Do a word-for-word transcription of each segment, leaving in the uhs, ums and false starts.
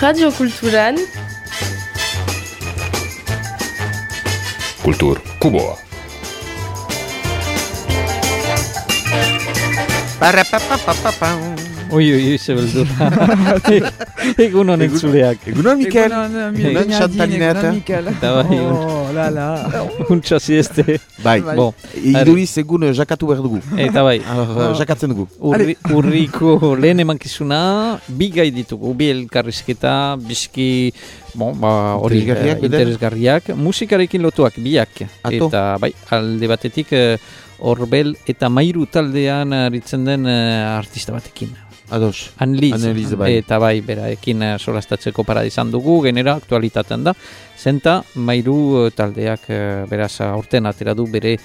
Radio Kulturan Kultur Kuboa. Ui, ui, ze beldur. Egun honen zuleak. Egun hon, Mikel. Egun hon, Chantalineta. Eta bai, Oh, la, la. untsa zieste. Bai, Bon, iduriz egun eh, jakatu behar dugu. eta bai, Alors, eh, jakatzen dugu. urri, urriko lehen emankizuna, bi gai ditugu, bi elkarrizketa, bizki, bon, ba, hori Interesgarriak, eh, beden? interesgarriak, musikarekin lotuak, biak. Ato. Eta bai, alde batetik, eh, Orbel eta Mairu taldean aritzen den eh, artista batekin. Ados. Anliz, Anliz, bai. eta bai, beraekin eh, solastatzeko para izan dugu, genera aktualitatean da. Zenta, Mairu eh, taldeak eh, beraz aurten atera du bere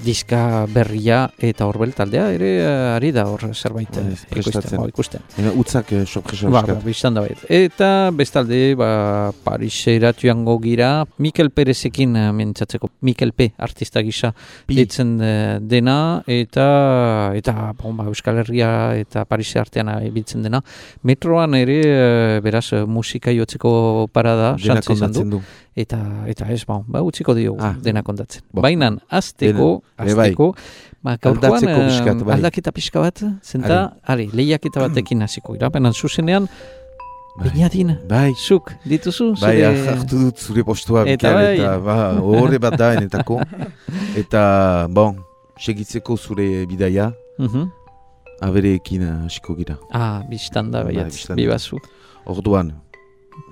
diska berria eta Orbel taldea ere eh, ari da hor zerbait eh, Bai, prestatzen. ikusten. Ba, ikusten. Ena utzak eh, sorpresa Ba, ba, eskat. biztan da bait. Eta bestalde, ba, Parisera joango gira, Mikel Perezekin eh, mintzatzeko, Mikel P. artista gisa Pi. ditzen eh, dena, eta eta bon, ba, Euskal Herria eta Paris artean ibiltzen dena. Metroan ere, eh, beraz, eh, musika jotzeko parada, Dena xantze izan du. kondatzen du. Eta, eta ez, ba, ba utziko diogu Ah. dena kontatzen. Bo. Bainan, azteko, Dena, ere bai. azteko, ba, gaurkoan, Aldatzeko eh, pixkat, bai. aldaketa pixka bat, zenta, ari, lehiaketa batekin hasiko gira, benan zuzenean, Beñadin, Bai. zuk, dituzu, Bai, zure... hartu dut zure postua, Eta Mikel, bai. eta ba, horre bat da enetako. Eta, bon, segitzeko zure bidaia, Mhm. abereekin eh, hasiko gira. Ah, biztan da, Bai, baiatz, bistan da. bibazu. Orduan,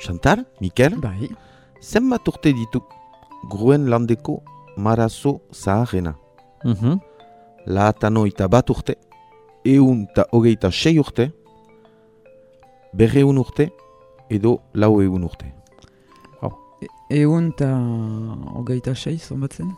Chantal, Mikel, Bai. zenbat urte ditu gruen landeko marazo zaharrena. Mhm. Laatanoita bat urte, eun eta hogeita sei urte, berreun urte, edo lau eun urte. Egun eta hogeita sei, zonbatzen?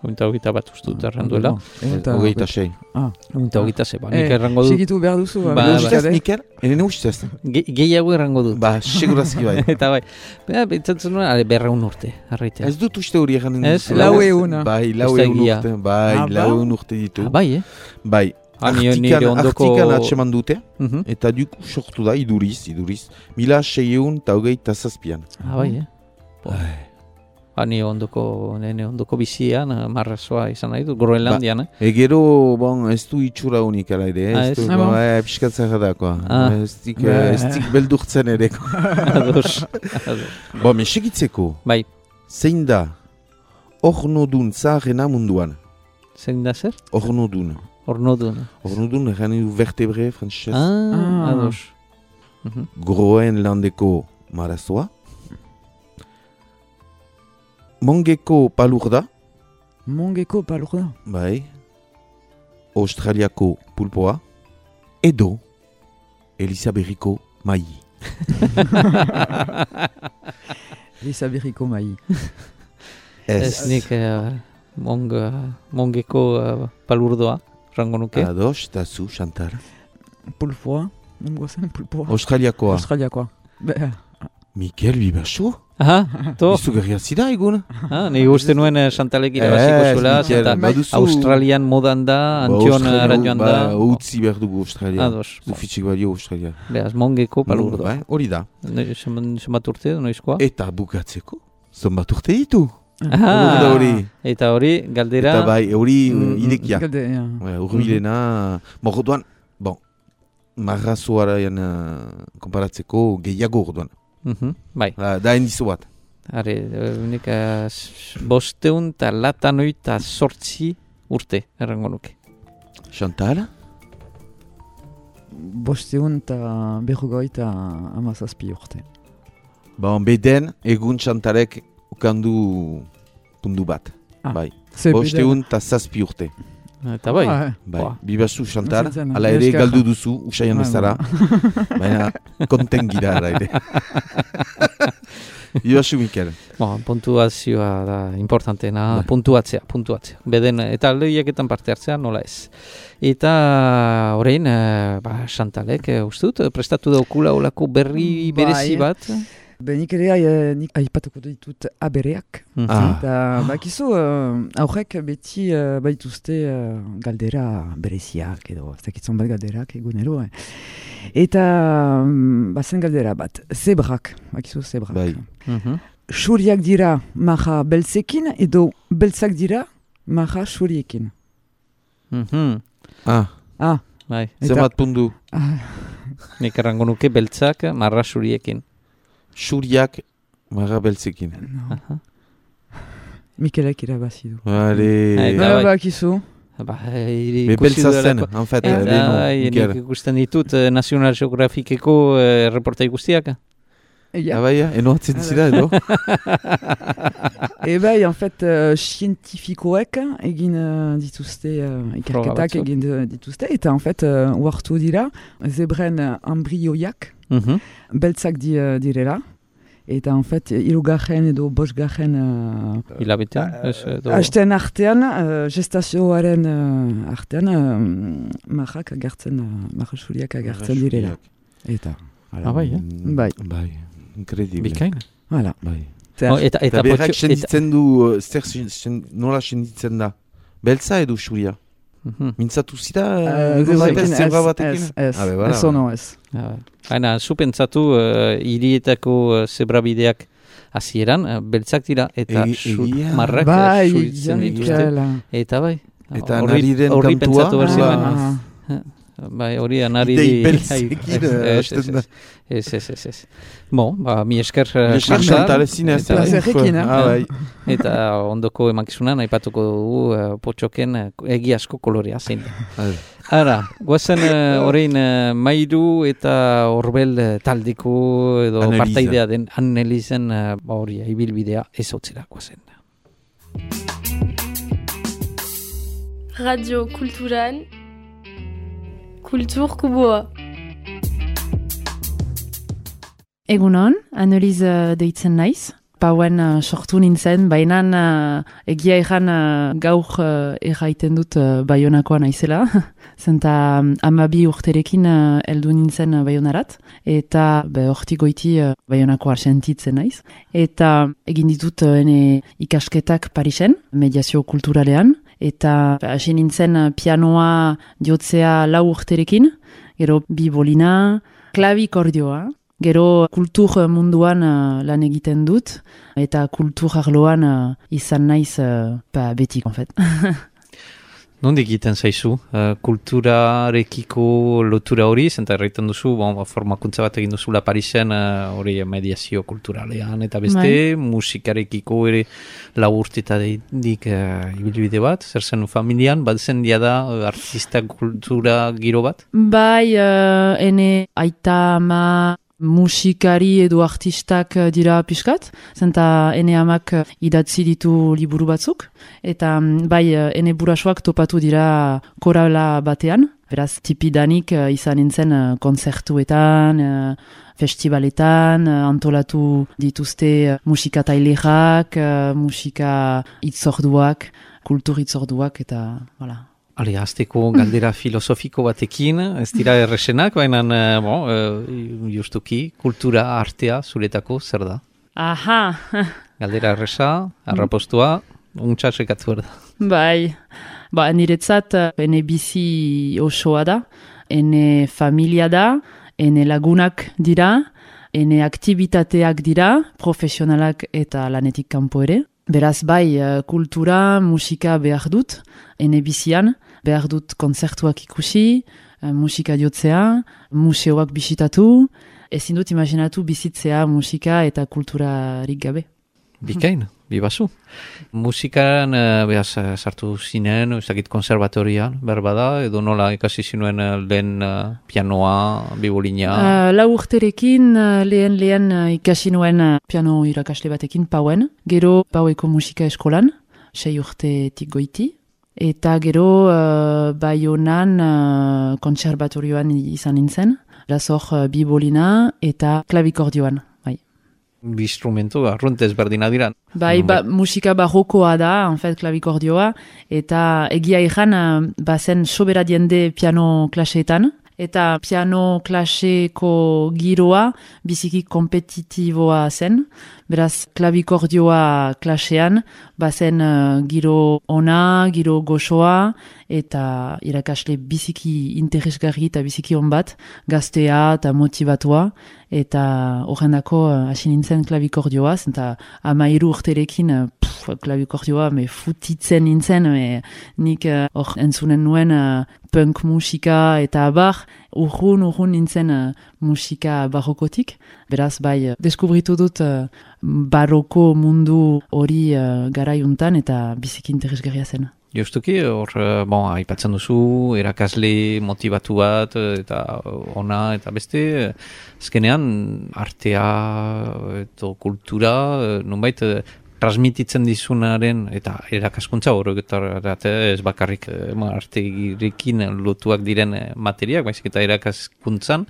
Ointa hogeita bat uste dut erranduela. Egun eta Hogeita sei. Ah, Ointa hogeita ze, ba, nik Eh, errango dut. Segitu behar duzu. Ba, ba, ba. Ustez, Mikel? Enen ustez? Ge- Gehiago errango dut. Ba, segurazki bai. Eta bai, ba, pentsatzen nuen, ale, berreun urte, arraitea. Ez dut uste hori eganen Ez, duzu. lau euna. Bai, lau Ez da eun egia. urte. Bai, Ah, ba? lau eun urte ditu. Ah, bai, eh? Bai, Ah, nire- artikan, nire ondoko... artikan atseman dute, Mhm. eta duku sortu da, iduriz, iduriz, mila seieun eta hogeita zazpian. Ah, bai, eh? Bo. Ba, nire ondoko, nire ondoko bizian, eh, marrazoa izan nahi dut, Groenlandian, eh? Egero, bon, ez du itxura honik ala ere, Ah, ez ez? du, Ah, bon, bon. eh, piskatzera da, koa. Ah. Ez dik, Ba. eh, ez dik beldurtzen ere. Ados. Ados. Bo, me segitzeko, Bai, zein da, ornodun zaharrena munduan. zein da zer? Ornodun. Ornodun. Ornodun, egan du vertebre, frantzes. Ah, Ah. ados. Mhm. Groenlandeko marazoa. Mongeko palurda, Mongeko palurda. bai. Australiako pulpoa. Edo, Elisaberriko mai. Elisaberriko mai. Ez nik eh, mong, eh, mongeko eh, palurdoa, rango nuke. Ados, eta zu, Chantal. Pulpoa. Mongo zen pulpoa. Australiakoa. Australiakoa. Be- Mikel Bibaso? Aha, to. Izugarria zida egun? Ah, ni uste nuen eh, Chantalek irabaziko Ez, zuela, Mikel, zenta baduzu- Australian modan da, Antion Ba, ara joan da. Ba, utzi behar dugu Australia. Ados. Zufitxik badio Australia. Beaz, mongeko palurdoa. Bai, hori da. Ne- zenbat zenbat urte, noizkoa? Eta bukatzeko, zonbat urte ditu. Ah, da hori. eta hori, galdera... Eta bai, hori Mm, mm, idekia. Galde, ja. Bai, Urbilena, bon, orduan, bon, marrazoaraian uh, konparatzeko gehiago orduan. Mhm, bai, Da, da endizo bat. are, unik uh, bosteun eta latanoi eta sortzi urte, errango nuke. Chantal? Bosteun eta berrogoita amazazpi urte. Bon, beden, egun Chantalek ukandu pundu bat. Ah, Bai, Ze bosteun eta zazpi urte. Eta bai, Ah, Bai, Boa. bibazu Chantal, Zen zen, ala ere esker. galdu duzu, usaian Ah, bezala. Baina, konten gira ara ere. Bibazu Mikel. bon, puntuazioa da importantena, Bai. puntuatzea, puntuatzea. Beden, eta lehiaketan parte hartzea, nola ez. Eta orain, eh, ba, Chantalek, eh, uste dut, prestatu daukula olako berri Bai. berezi bat. Benik ere, eh, nik aipatuko ditut abereak. Ah. Eta, bakizu, uh, aurrek beti uh, baituzte uh, galdera bereziak edo, ez dakitzen bat galderak egunero. Eh. Eta, um, bazen galdera bat, zebrak, bakizu zebrak. Bai. Mhm. Xuriak dira maha beltzekin edo beltzak dira maha xuriekin. Mhm. Ah, Ah, Bai, Eta- zenbat pundu. ah, nik errango nuke beltzak marra suriekin. Xuriak marra beltzekin. no. Aha. Mikelek irabazi du. Allez. Bai. Ba, bakizu. Ba, iri Me ikusi beltza zen, duelako. en fait. Eta, eh, lehenu, bai, Mikel. nik ikusten ditut eh, National Geographiceko eh, reportai guztiak. Egia. Ah, bai, ja? Eno atzen Ah, zira, edo? E bai, en fait, uh, zientifikoek egin uh, dituzte, uh, ikerketak batzuk. egin uh, dituzte, eta en fait, uh, uartu dira, zebren uh, embrioiak Mhm. beltzak di, uh, direla, eta en fait, hirugarren edo bosgarren uh, Hilabetean. ez, edo- hasten artean, uh, gestazioaren uh, artean, uh, marrak agertzen, uh, marra xuriak agertzen direla. Eta, Ah, bai, eh? Mm, Bai. Bai, incredible. Bikain. voilà. Bai. Zer, Oh, eta, Eta eta, berrak potxo- eta, senditzen du, uh, zer sen- sen- nola senditzen da? Beltza edo xuria? Mhm. Mintzatu zira? uh, edo zebrekin batez, zebra batekin? ez, ez, Ah, be, voilà. ez ono ez. Ah, bai. Baina, zu pentsatu, uh, hirietako uh, zebrabideak hasieran uh, beltzak dira, eta Egi- su- egia. marrak uh, Bai, suritzen dituzte. Janikela. Eta bai. Eta horri- nariren horri kantua? pentsatu behar ziren. Ah, Bai, hori anari... Idei beltzekin, eh, Ez, hasten da. ez, ez, ez, ez. Bon, ba, mi esker... eh, Esker Chantal. Chantal ezin ez. Eta- Plazerrekin, eh? Ah, bai. Eta ondoko emakizunan aipatuko dugu uh, potxoken uh, egi asko kolorea zein da. Bai. Ara, guazen uh, orain uh, Mairu eta Orbel uh, taldeko edo Anneliese. partaidea den Anneliesen uh, ba hori ibilbidea ez hotzera guazen. Radio Kulturan Kultur Kuboa. Egunon, Annelies uh, deitzen naiz. Pauen uh, sortu nintzen, baina uh, egia erran uh, gaur uh, erraiten dut uh, Baionakoa naizela. Zenta um, amabi urterekin uh, heldu nintzen uh, Baionarat. Eta be, hortik goiti uh, Baionakoa sentitzen naiz. Eta egin ditut uh, ene ikasketak Parisen, mediazio kulturalean. Eta hasi nintzen uh, pianoa jotzea lau urterekin. Gero bibolina, klavikordioa. Gero kultur munduan uh, lan egiten dut, eta kultur arloan uh, izan naiz uh, ba, betik, en fait. Nondik egiten zaizu, uh, kulturarekiko lotura hori, zenta erraiten duzu, bon, ba, formakuntza bat egin duzula Parisen, uh, hori mediazio kulturalean, eta beste, Bai. musikarekiko ere lau urtetadik uh, ibilbide bat, zer zen familian, bat zen diada uh, artista kultura giro bat? Bai, uh, ene aita ama musikari edo artistak uh, dira pixkat, zenta ene amak uh, idatzi ditu liburu batzuk, eta um, bai, uh, ene burasoak topatu dira korala batean, beraz, tipidanik uh, izan nintzen uh, konzertuetan, uh, festivaletan, uh, antolatu dituzte uh, musika tailerak, uh, musika itzorduak, kultur itzorduak, eta, voilà. Ale, azteko galdera filosofiko batekin, ez dira erresenak, baina, uh, bon, uh, justuki, kultura artea zuretako zer da? Aha! Galdera erresa, arrapostua, untsa sekatu behar da. Bai, ba, niretzat eh, ene bizi osoa da, ene familia da, ene lagunak dira, ene aktibitateak dira, profesionalak eta lanetik kanpo ere. Beraz bai, eh, kultura, musika behar dut, ene bizian, behar dut konzertuak ikusi, eh, musika jotzea, museoak bisitatu, ezin dut imaginatu bizitzea musika eta kulturarik gabe. Bikain, bibazu. Musikan, uh, behaz, uh, sartu zinen, ez dakit konservatorian, berbada, edo nola ikasi zinuen uh, lehen uh, pianoa, bibolina. Uh, lau urterekin uh, lehen lehen uh, ikasi nuen uh, piano irakasle batekin pauen. Gero paueko musika eskolan, sei urtetik goiti. Eta gero uh, Baionan uh, kontserbatorioan izan nintzen. Lazor uh, bibolina eta klavikordioan. Bai, Bi instrumentu, arruntez berdina dira. bai ba, musika barrokoa da, en fait, klavikordioa. Eta egia ikan, uh, bazen sobera diende piano klaseetan. eta piano klaseko giroa biziki kompetitiboa zen. Beraz, klabikordioa klasean, bazen uh, giro ona, giro goxoa, eta irakasle biziki interesgarri eta biziki on bat, gaztea eta motivatua, eta horrendako uh, hasi nintzen klabikordioaz, eta amairu urterekin uh, pff, klabikordioa me futitzen nintzen, me, nik hor uh, entzunen nuen uh, punk musika eta abar, urrun, urrun nintzen uh, musika barrokotik. Beraz, bai, deskubritu dut uh, barroko mundu hori uh, garaiuntan eta biziki interesgarria zen. Justuki, hor, bon, aipatzen duzu, erakasle motivatu bat, eta ona, eta beste, azkenean, artea, eta kultura, nonbait, transmititzen dizunaren, eta erakaskuntza horregarat ez bakarrik artegirekin lotuak diren materiak, baizik eta erakaskuntzan,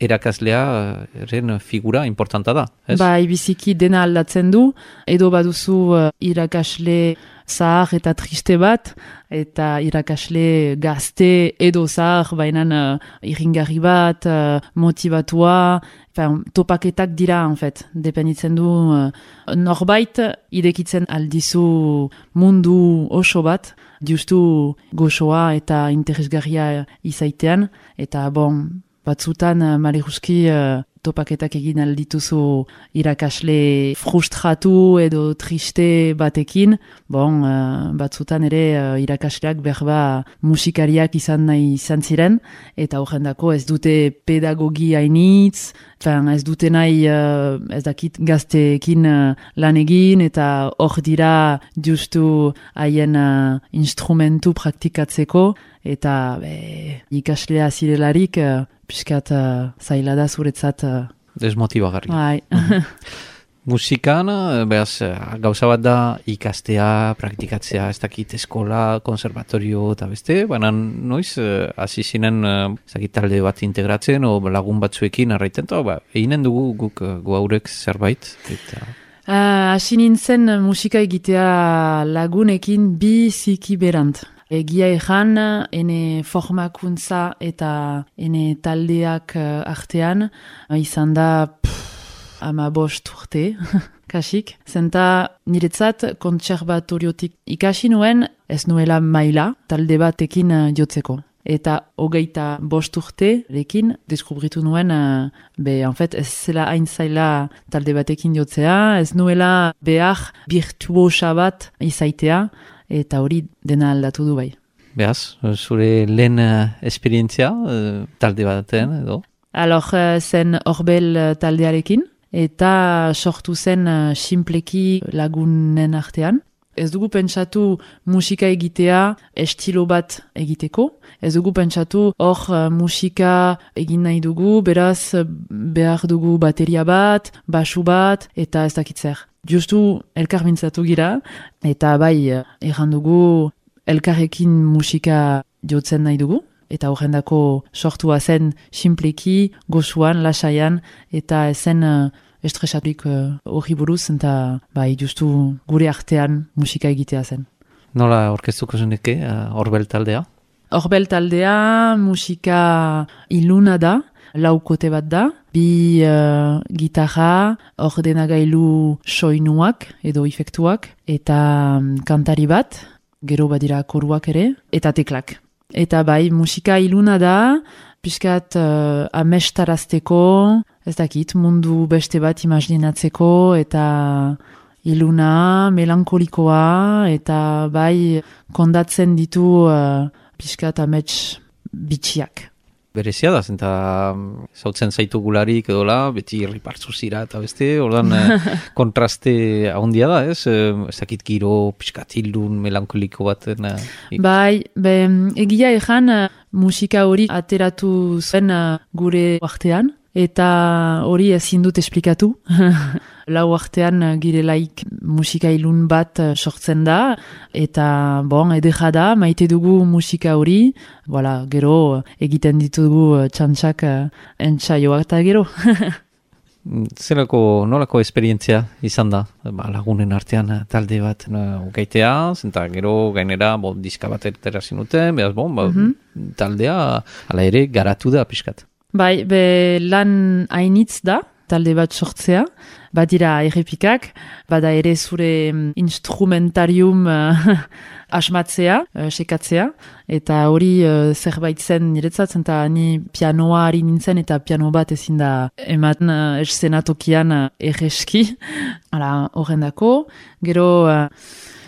erakaslearen figura importanta da, ez? Bai, biziki dena aldatzen du, edo baduzu uh, irakasle zahar eta triste bat, eta irakasle gazte edo zahar, bainan uh, irringarri bat, uh, motivatua, enfin, topaketak dira, en fait, dependitzen du uh, norbait idekitzen aldizu mundu oso bat, justu goxoa eta interesgarria izaitean, eta bon, batzutan uh, maleruski uh, topaketak egin aldituzu irakasle frustratu edo triste batekin, bon, uh, batzutan ere uh, irakasleak berba musikariak izan nahi izan ziren, eta horrendako ez dute pedagogi hainitz, ez dute nahi uh, ez dakit gazteekin uh, lan egin, eta hor dira justu haien uh, instrumentu praktikatzeko, eta be, ikaslea zirelarik uh, piskat uh, zaila da zuretzat. Uh, Desmotibagarri. Bai. Musikan, behaz, gauza bat da ikastea, praktikatzea, ez dakit eskola, konservatorio eta beste, baina noiz, hasi zinen, ez dakit talde bat integratzen, o lagun batzuekin arraiten, eta ba, eginen dugu guk goaurek zerbait, eta... Hasi uh, nintzen musika egitea lagunekin bi ziki berant. Egia egan, ene formakuntza eta ene taldeak uh, artean, uh, izan da pff, ama bost urte, kasik. Zenta niretzat kontserbatoriotik ikasi nuen, ez nuela maila talde batekin uh, jotzeko. Eta hogeita bost urte lekin deskubritu nuen, uh, be, en fait, ez zela hain zaila talde batekin jotzea, ez nuela behar virtuosa bat izaitea, eta hori dena aldatu du bai. Behaz, zure lehen uh, esperientzia uh, talde batean edo? Alor, uh, zen Orbel uh, taldearekin, eta sortu zen uh, simpleki lagunen artean. Ez dugu pentsatu musika egitea estilo bat egiteko. Ez dugu pentsatu hor uh, musika egin nahi dugu, beraz behar dugu bateria bat, basu bat, eta ez dakitzer. Justu elkar mintzatu gira, eta bai, erran dugu elkarrekin musika jotzen nahi dugu, eta horrendako sortua zen simpleki, gozuan, lasaian, eta ezen uh, estresatik hori uh, buruz, eta bai, justu gure artean musika egitea zen. Nola orkestuko zeneke, uh, Orbel taldea? Orbel taldea musika iluna da, laukote bat da, bi uh, gitarra, ordenagailu soinuak edo efektuak, eta um, kantari bat, gero badira koruak ere, eta teklak. Eta bai, musika iluna da, piskat uh, amestarazteko, ez dakit, mundu beste bat imaginatzeko, eta iluna, melankolikoa, eta bai, kondatzen ditu uh, piskat amets bitxiak. Berezia da, zenta zautzen zaitu gularik edola, beti ripartzu zira eta beste, ordan kontraste ahondia da, ez? Ez dakit giro, piskatilun, melankoliko baten. Uh, bai, be, egia egan musika hori ateratu zen uh, gure artean, eta hori ezin dut esplikatu. Lau artean girelaik musika ilun bat sortzen da, eta bon, edera da, maite dugu musika hori, voilà, gero egiten ditugu txantxak entsaioak eta gero. Zelako, nolako esperientzia izan da, ba, lagunen artean talde bat no, ukaitea, zenta gero gainera bo, diska bat ertera zinuten, behaz bon, ba, mm-hmm. taldea ala ere garatu da pixkat. Bai, be lan hainitz da, talde bat sortzea, badira errepikak, bada ere zure instrumentarium uh, asmatzea, uh, sekatzea, eta hori uh, zerbait zen niretzat, eta ni pianoa ari nintzen, eta piano bat ezin da ematen uh, eszenatokian uh, erreski, hala horrendako, gero... Uh,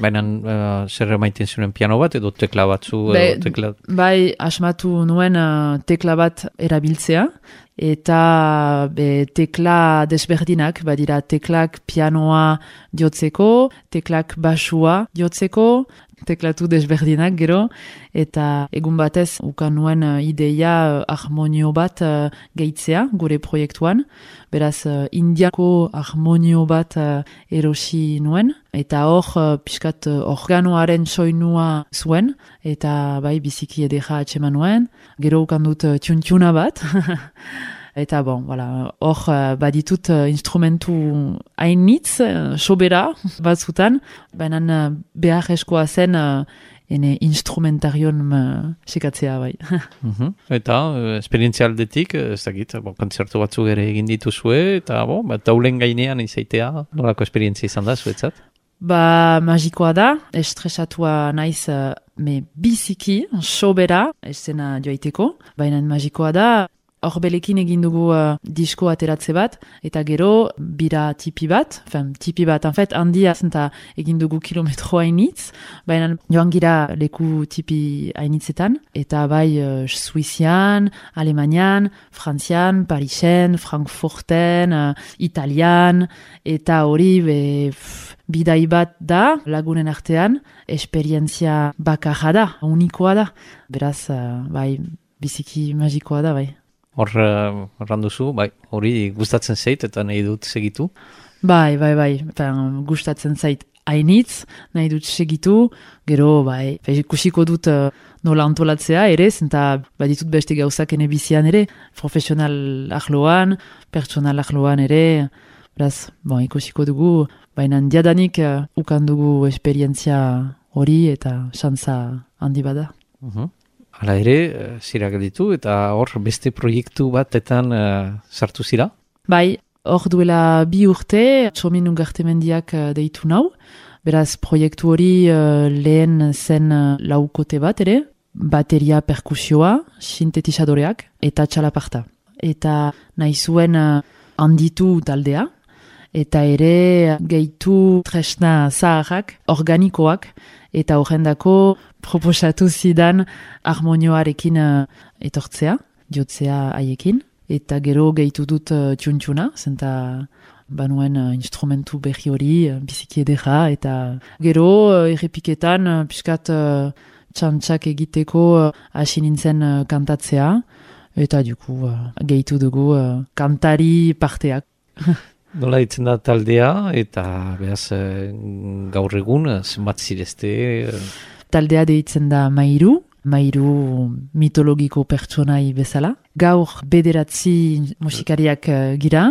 Baina uh, zer emaiten zuen piano bat edo tekla batzu? Be, edo tekla... Bai, asmatu nuen uh, tekla bat erabiltzea, eta be, tekla desberdinak, badira teklak pianoa jotzeko, teklak basua jotzeko, teklatu desberdinak gero, eta egun batez ukan nuen uh, ideia uh, harmonio bat uh, gehitzea gure proiektuan, beraz uh, indiako harmonio bat uh, erosi nuen, eta hor uh, pixkat uh, organoaren soinua zuen, eta bai biziki edera atxeman nuen, gero ukan dut uh, txuntxuna bat, eta bon, voilà, hor uh, baditut uh, instrumentu hainitz, uh, sobera batzutan, baina uh, behar eskoa zen uh, ene instrumentarion uh, sekatzea bai. uh-huh. Eta uh, esperientzia aldetik, ez dakit, bon, kontzertu batzuk ere egin dituzue, eta bon, ba, taulen gainean izaitea, nolako esperientzia izan da zuetzat? Ba, magikoa da, estresatua naiz uh, me biziki, sobera, esena joaiteko, baina magikoa da, horbelekin egin dugu uh, disko ateratze bat, eta gero bira tipi bat, fen, tipi bat, en fait, handia zenta egin dugu kilometro hainitz, baina joan gira leku tipi hainitzetan, eta bai uh, Suizian, Alemanian, Frantzian, Parisen, Frankfurten, uh, Italian, eta hori be, pff, bidai bat da, lagunen artean, esperientzia bakarra da, unikoa da, beraz, uh, bai, biziki magikoa da, bai. Hor, erranduzu, bai, hori gustatzen zait eta nahi dut segitu? Bai, bai, bai, Pen, gustatzen zait hainitz, nahi dut segitu, gero, bai, ikusiko dut uh, nola antolatzea ere, zenta baditut beste gauzak ene bizian ere, profesional ahloan, pertsonal ahloan ere, beraz, bon, ikusiko dugu, baina diadanik uh, ukan dugu esperientzia hori eta xantza handi bada. Uh-huh. Hala ere, zira gelditu eta hor beste proiektu batetan uh, sartu zira? Bai, hor duela bi urte, Txomin Ungartemendiak uh, deitu nau, beraz proiektu hori uh, lehen zen uh, laukote bat ere, bateria perkusioa, sintetizadoreak eta txalaparta. Eta nahi zuen uh, handitu taldea, eta ere gehitu tresna zaharrak, organikoak, eta horrendako proposatu zidan harmonioarekin uh, etortzea, jotzea haiekin, eta gero gehitu dut uh, txuntxuna, zenta banuen uh, instrumentu berri hori, uh, biziki edera, eta gero uh, errepiketan uh, piskat uh, txantxak egiteko hasi uh, nintzen uh, kantatzea, eta duku uh, gehitu dugu uh, kantari parteak. Nola ditzen da taldea, eta behaz gaur egun, zenbat zirezte? Taldea deitzen da Mairu, Mairu mitologiko pertsonai bezala. Gaur bederatzi musikariak uh, gira,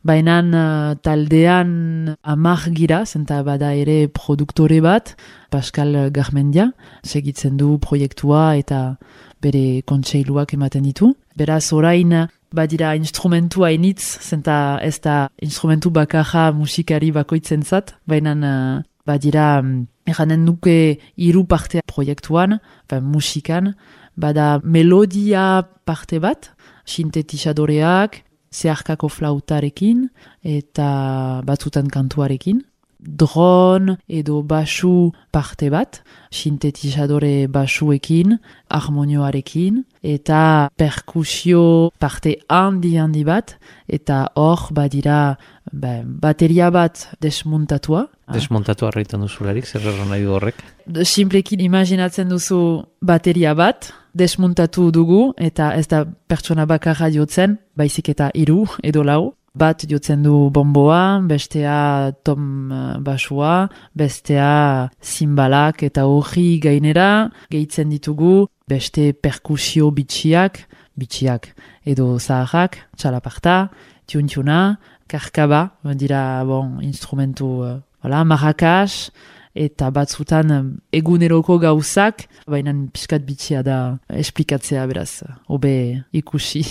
baina uh, taldean amar gira, zenta bada ere produktore bat, Pascal Garmendia, segitzen du proiektua eta bere kontseiluak ematen ditu. Beraz orain badira instrumentu hainitz, zenta ez da instrumentu bakarra musikari bakoitzen zat, baina uh, badira um, eranen nuke hiru parte proiektuan, musikan, bada melodia parte bat, sintetizadoreak, zeharkako flautarekin, eta batzutan kantuarekin. Dron edo basu parte bat, sintetizadore basuekin, harmonioarekin, eta perkusio parte handi handi bat, eta hor badira ba, bateria bat desmontatua. Desmontatua arretan duzularik, zer erran nahi du horrek? Simplekin imaginatzen duzu bateria bat, desmontatu dugu, eta ez da pertsona bakarra jotzen, baizik eta hiru edo lau. Bat jotzen du bomboa, bestea tom uh, basua, bestea zimbalak eta hori gainera, gehitzen ditugu beste perkusio bitxiak, bitxiak edo zaharrak, txalaparta, txuntxuna, karkaba, dira bon, instrumentu, uh, voilà, marrakas, eta batzutan um, eguneroko gauzak, baina pixkat bitxia da esplikatzea beraz, hobe ikusi.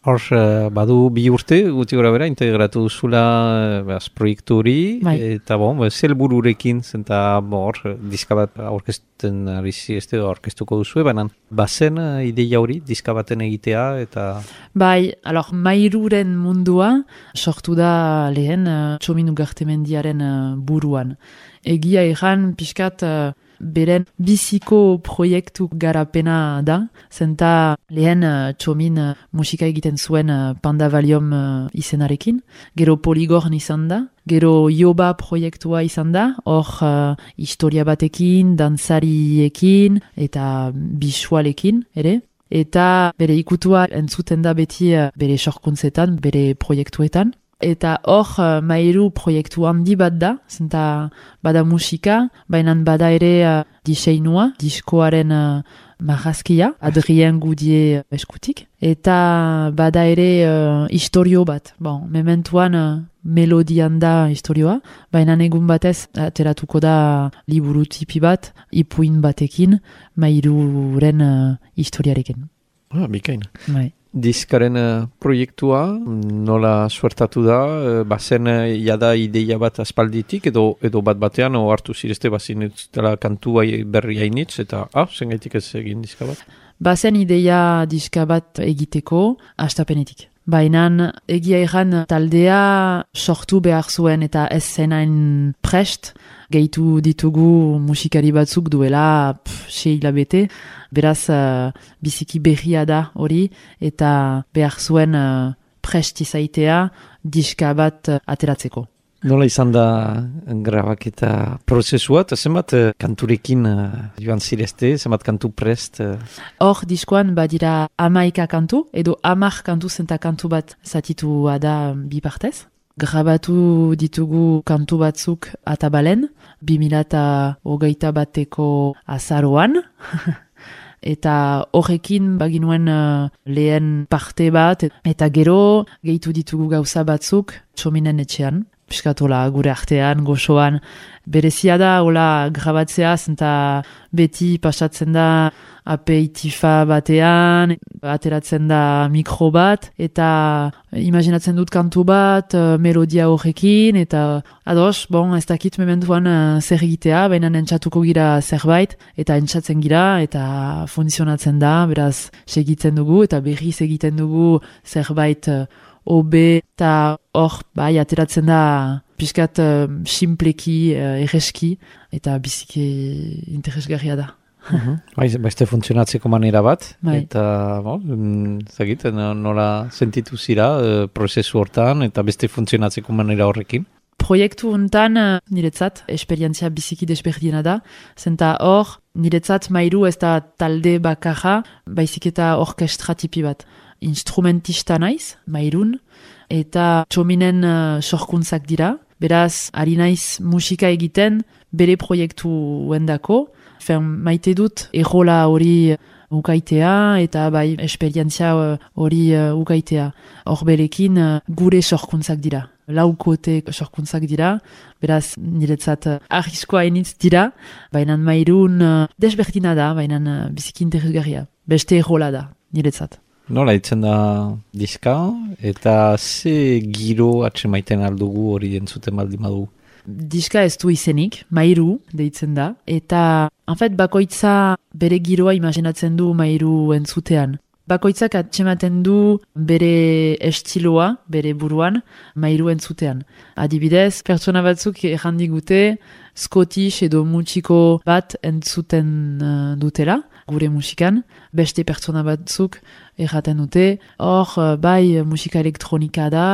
Hor, uh, badu bi urte, guti gora bera, integratu duzula uh, proiektu hori, bai. Eta bon, zel bururekin, zenta hor, diska bat aurkezten ari zizte, aurkeztuko duzu, baina bazen uh, ideia hori, diska baten egitea, eta... Bai, alor, mairuren mundua, sortu da lehen uh, Txomin Ugartemendiaren uh, buruan. Egia egan, pixkat... Uh, beren biziko proiektu garapena da, zenta lehen uh, Txomin uh, musika egiten zuen uh, Pandavalium uh, izenarekin, gero Poligorn izan da, gero Yoba proiektua izan da, hor uh, historia batekin, dantzariekin eta bisualekin ere, eta bere ikutua entzuten da beti uh, bere sorkuntzetan, bere proiektuetan. Eta hor, uh, mairu proiektu handi bat da, zenta bada musika, baina bada ere uh, diseinua, diskoaren uh, marrazkia, Adrien Gudie eskutik, eta bada ere uh, historio bat. Bon, mementuan uh, melodian da historioa, baina egun batez ateratuko da liburu tipi bat, ipuin batekin, mairuren uh, historiarekin. Ah, bikain. Bai. Diskaren uh, proiektua nola suertatu da, uh, bazen uh, jada ideia bat aspalditik edo edo bat batean o hartu zirezte bazin dela kantu berri hainitz eta ah, zengaitik ez egin diska bat? Bazen ideia diska bat egiteko astapenetik. Baina egia egan taldea sortu behar zuen eta ez zenain prest, gehitu ditugu musikari batzuk duela pff, sei hilabete, beraz uh, biziki berria da hori eta behar zuen uh, prest izaitea diska bat uh, ateratzeko. Nola izan da grabaketa prozesua, eta zenbat uh, kanturekin uh, joan zirezte, zenbat kantu prest? Hor uh... diskoan badira hamaika kantu, edo hamar kantu zenta kantu bat zatitua da bi partez. Grabatu ditugu kantu batzuk atabalen, bi mila hogeita bateko azaroan, eta horrekin baginuen uh, lehen parte bat, eta gero gehitu ditugu gauza batzuk Txominen etxean. Piskatola gure artean, goxoan, berezia da, hola, grabatzea, zenta beti pasatzen da apeitifa batean, ateratzen da mikro bat, eta imaginatzen dut kantu bat, uh, melodia horrekin, eta ados, bon, ez dakit mementuan uh, zer egitea, baina entzatuko gira zerbait, eta entzatzen gira, eta funtzionatzen da, beraz, segitzen dugu, eta berriz egiten dugu zerbait uh, obe, eta hor, bai, ateratzen da pixkat uh, simpleki, uh, erreski, eta biziki interesgarria da. Uh-huh. Bai, beste funtzionatzeko manera bat, bai. Eta bo, zagit, nola sentitu zira uh, prozesu hortan, eta beste funtzionatzeko manera horrekin? Proiektu hontan uh, niretzat, esperientzia biziki desberdina da, zenta hor, niretzat mairu ez da talde bakarra, baizik eta orkestra tipi bat. Instrumentista naiz, mairun, eta Txominen uh, sorkuntzak dira. Beraz, ari naiz musika egiten bere proiektu wendako. Fen, maite dut errola hori ukaitea eta bai esperientzia hori uh, ukaitea. Hor berekin uh, gure sorkuntzak dira. Laukote sorkuntzak dira. Beraz, niretzat uh, arriskoa initz dira. Baina mairun uh, desberdina da, baina uh, biziki interesgarria. Beste errola da, niretzat. Nola itzen da diska, eta ze giro atsemaiten aldugu hori entzuten baldin badu? Diska ez du izenik, mairu deitzen da, eta en fait, bakoitza bere giroa imaginatzen du mairu entzutean. Bakoitzak atsematen du bere estiloa, bere buruan, mairu entzutean. Adibidez, pertsona batzuk errandigute Scottish edo mutxiko bat entzuten uh, dutela, gure musikan. Beste pertsona batzuk erraten dute, hor, uh, bai, musika elektronika da,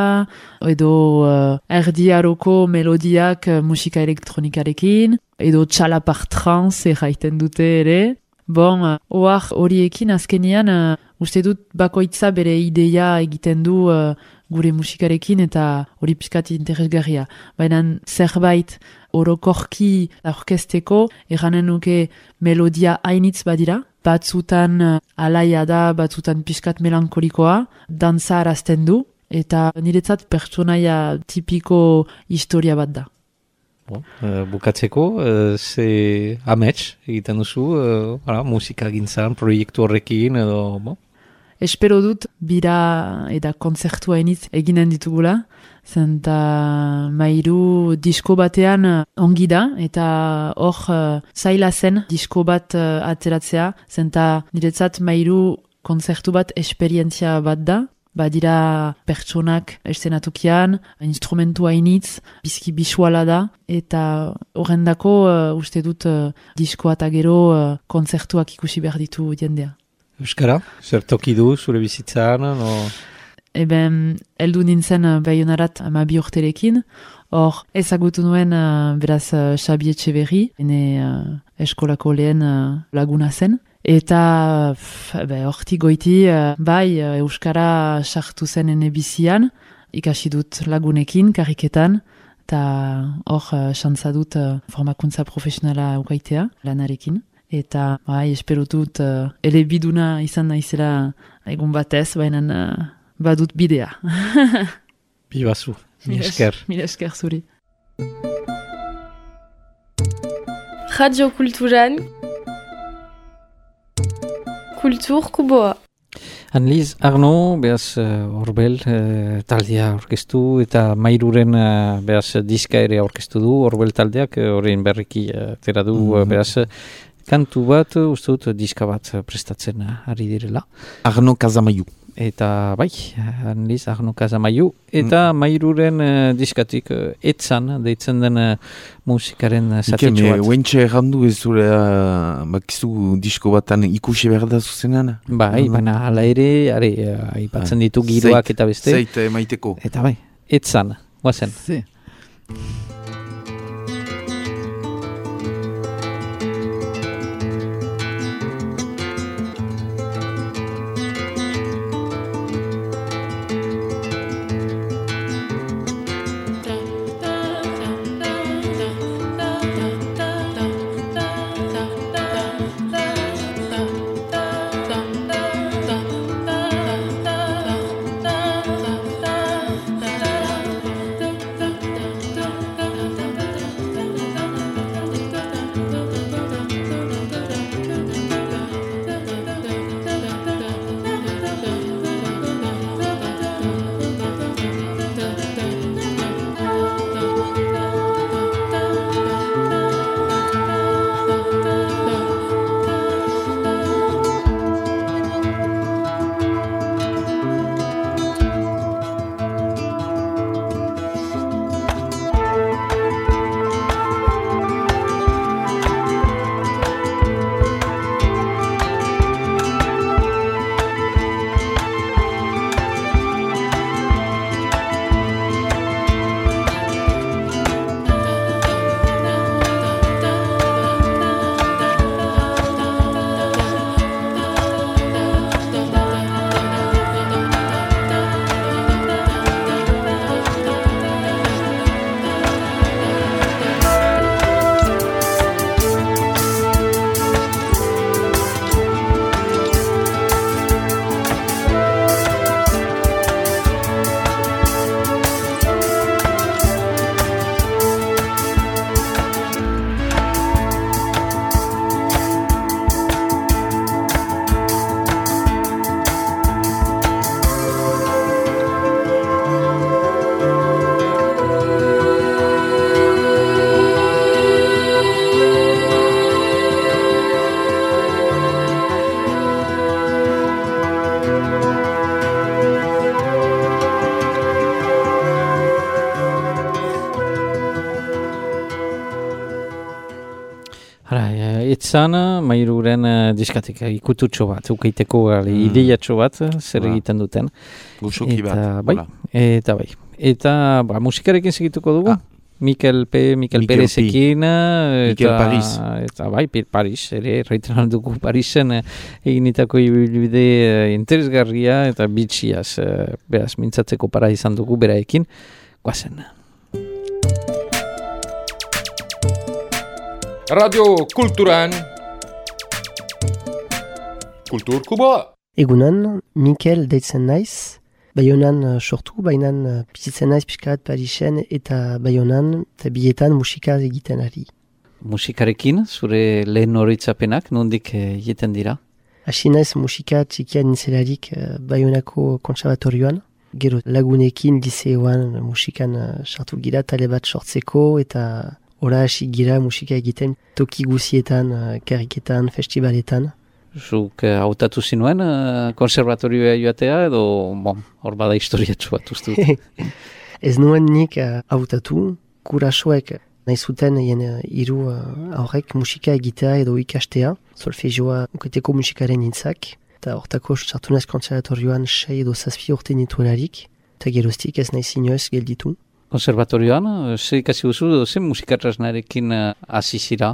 edo uh, erdiaroko melodiak uh, musika elektronikarekin, edo txalapar trans erraiten dute ere. Bon, ohar horiekin azkenean, uh, uste dut bakoitza bere ideia egiten du uh, gure musikarekin eta hori pixkat interesgarria. Baina zerbait orokorki orkesteko, eranen nuke melodia hainitz badira, batzutan uh, alaia da, batzutan pixkat melankolikoa, dantza arazten du, eta niretzat pertsonaia tipiko historia bat da. Bon, uh, bukatzeko, uh, ze amets egiten duzu, uh, ara, musika gintzan, proiektu horrekin, edo, bon? Espero dut, bira eta kontzertua iniz eginen ditugula, zenta mairu disko batean ongi da, eta hor uh, zaila zen disko bat uh, ateratzea, zenta niretzat mairu kontzertu bat esperientzia bat da, badira pertsonak estenatukian, instrumentua initz, bizki bisuala da, eta horrendako uh, uste dut uh, diskoa eta gero uh, kontzertuak ikusi behar ditu jendea. Euskara, zer toki du zure bizitzan? No? Eben, eldu nintzen uh, Baionarat amabi urterekin, hor ezagutu nuen uh, beraz uh, Xabi Etxeberri, ene uh, eskolako lehen uh, laguna zen, eta hortik goiti uh, bai uh, Euskara sartu zen ene bizian, ikasi dut lagunekin, kariketan, eta hor uh, xantza dut uh, formakuntza profesionala ukaitea lanarekin. Eta, bai, espero dut, uh, ele biduna izan naizela egun batez, baina uh, badut bidea. Bibazu, mil esker. Mil esker zuri. Radio Kulturan, Kultur Kuboa. Annelies Arno, behaz, horbel, uh, uh, taldea orkestu, eta mairuren, uh, behaz, diska ere orkestu du, horbel taldeak, horrein uh, berriki uh, tera du, mm-hmm. uh, behaz, kantu bat, uste dut, diska bat prestatzen ari direla. Arno Kazamaiu. Eta bai, Annelies Arno Kazamaiu. Eta mm. mairuren uh, diskatik uh, etzan, deitzen den uh, musikaren uh, zatitxo bat. Uentxe errandu ez zure, uh, bakizu disko batan ikusi behar da zuzenan? Bai, mm. baina hala ere, are, uh, aipatzen ditu giroak eta beste. Zeit emaiteko. Eta bai, etzan, guazen. Ze. Etzan, mairuren uh, diskatik ikututxo bat, ukeiteko mm. ideiatxo bat, zer ba. egiten duten. Gusoki bat. Bai, eta bai. Eta ba, musikarekin segituko dugu. Ah. Mikel P. Mikel, Mikel Perezekin. Mikel Paris. Eta bai, Paris, ere, reiteran dugu Parisen eginitako ibilbide uh, interesgarria eta bitxiaz, uh, beraz, mintzatzeko para izan dugu beraekin. Guazen. Radio Kulturan, Kultur Kuboa. Egunan, Mikel deitzen naiz, Baionan uh, sortu, bainan uh, bizitzen naiz pixka bat Parisen eta Baionan, eta bietan musika egiten ari. Musikarekin, zure lehen horitzapenak, nondik egiten dira? Hasi naiz musika txikian nintzelarik uh, Baionako kontserbatorioan. Gero lagunekin liseoan musikan uh, sartu gira tale bat sortzeko eta ora hasi gira musika egiten toki guzietan, uh, kariketan, festivaletan. Zuk uh, hautatu zinuen uh, konservatorioa joatea edo bon, hor bada historiatxu bat uste dut? Ez nuen nik uh, hautatu, kurasoek nahi zuten hien uh, hiru uh, aurrek musika egitea edo ikastea, solfegioa uketeko musikaren nintzak. Eta hortako sartu naiz konservatorioan sei edo zazpi urte nituelarik, eta geroztik ez nahi zinioez gelditu. Konservatorioan, ze ikasi duzu, ze musikatrasnarekin hasi zira?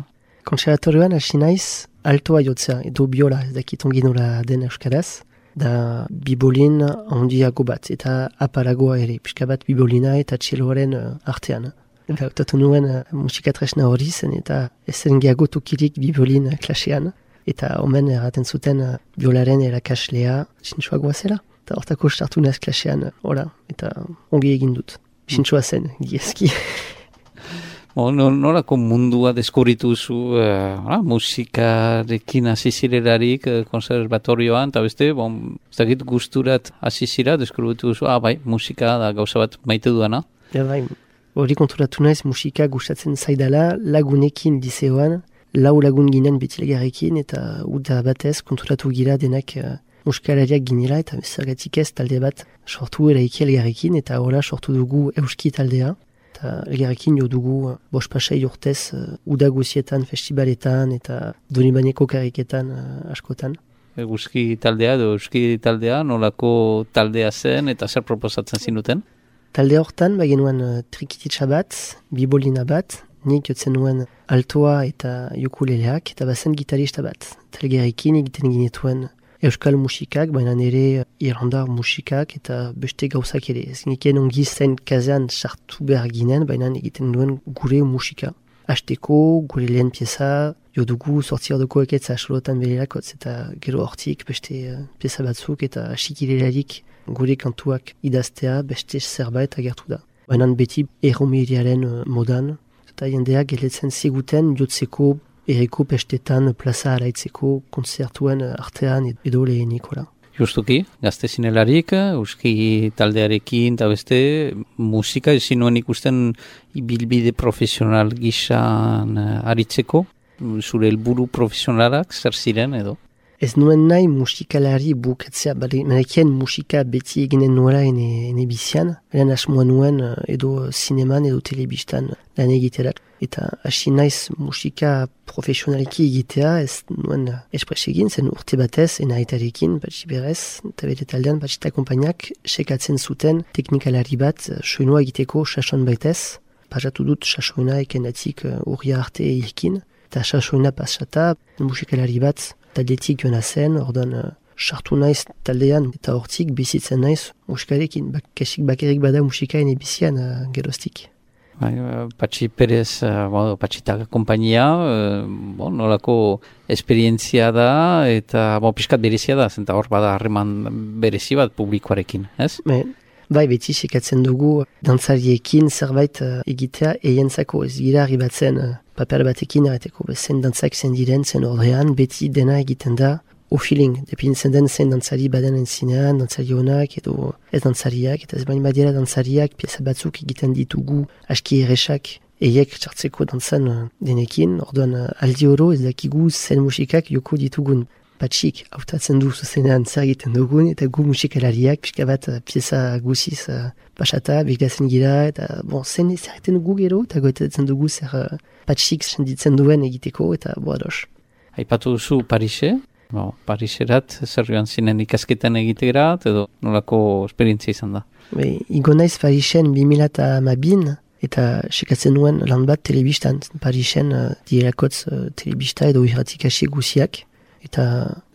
Konservatorioan hasi naiz altoa jotzea, edo biola, ez dakit ongi nola den euskaraz, da bibolin handiago bat, eta apalagoa ere, pixka bat bibolina eta txeloaren artean. Hautatu nuen musikatresna hori zen, eta ez zen gehiago tokirik bibolin klasean. Eta omen erraten zuten uh, biolaren erakaslea sintxoa goazela. Eta hortako sartu naz klasean, ora, eta ongi egin dut. Sintxoa zen, giezki. Nolako mundua deskubritu zu uh, musikarekin hasi zirelarik uh, konservatorioan, eta beste, bon, ez dakit gusturat hasi zira, deskubritu zu, ah, bai, musika da gauza bat maite duana. Ja, bai, hori konturatu naiz musika gustatzen zaidala lagunekin liseoan, lau lagun ginen betilegarekin eta uda batez konturatu gira denak uh, muskalariak ginela eta zergatik ez talde bat sortu eraiki elgarrekin eta hola sortu dugu euski taldea eta elgarrekin jo dugu uh, bospasei urtez uh, uda guzietan, festivaletan eta Donibaneko kariketan uh, askotan. Euski taldea edo euski taldea nolako taldea zen eta zer proposatzen zinuten? Talde hortan bagenuen uh, trikititsa bat, bibolina bat, nik jotzen nuen altoa eta ukuleleak, eta bazen gitarista bat. Talgerekin egiten ginetuen euskal musikak, baina nire irlandar musikak eta beste gauzak ere. Ez niken ongi zen kazean sartu behar ginen, baina egiten duen gure musika. Azteko, gure lehen pieza, jo dugu sortzi ordoko eketza solotan bererakotz, eta gero hortik beste uh, pieza batzuk eta asikilelarik gure kantuak idaztea beste zerbait agertu da. Baina beti erromeriaren uh, modan, eta jendeak geletzen ziguten jotzeko erreko pestetan plaza araitzeko konzertuen artean edo lehenikola. Justuki, gazte zinelarik, euski taldearekin eta beste musika ezin nuen ikusten ibilbide profesional gisan aritzeko, zure helburu profesionalak zer ziren edo? Ez nuen nahi musikalari bukatzea, menekien musika beti eginen nuela ene, ene bizian, lehen asmoa nuen edo zineman edo telebistan lan egiterak. Eta hasi naiz musika profesionaliki egitea, ez nuen espres egin, zen urte batez, ena aitarekin, batxi berez, eta bere taldean batxita kompainak sekatzen zuten teknikalari bat soinua egiteko sasoan baitez. Pasatu dut sasoina ekenatik urria arte ekin, eta sasoina pasata musikalari bat taldetik joan zen, ordan sartu naiz taldean eta hortik bizitzen naiz musikarekin. Bak, kesik bakerik bada musika ene bizian uh, geroztik. Bai, Patxi Perez, uh, Patxita kompainia, uh, bon, nolako esperientzia da eta bon, piskat berezia da, zenta hor bada harreman berezi bat publikoarekin, ez? Me, bai, beti sekatzen dugu dantzariekin zerbait uh, egitea eientzako ez gira arribatzen uh, paper batekin erreteko, zen dantzak zen diren, zen ordean, beti dena egiten da o feeling, depintzen den zen dantzari baden entzinean, dantzari honak edo ez dantzariak, eta ez bain badira dantzariak, pieza batzuk egiten ditugu aski erresak, eiek txartzeko dantzan uh, denekin, orduan uh, aldi oro ez dakigu zen musikak joko ditugun. Patxik hautatzen du zuzenean zer egiten dugun, eta gu musikalariak pixka bat uh, pieza guziz uh, pasata, beglazen gira, eta bon, zen zer egiten dugu gero, eta goetatzen dugu zer uh, patxik senditzen duen egiteko, eta boa dos. Aipatu duzu Parise, bon, Pariserat zer joan zinen ikasketan egiterat, edo nolako esperientzia izan da? Be, igo naiz Parisen bi mila hamabin, eta sekatzen nuen lan bat telebistan, Parisen uh, dirakotz uh, telebista edo irratik hasi guziak, eta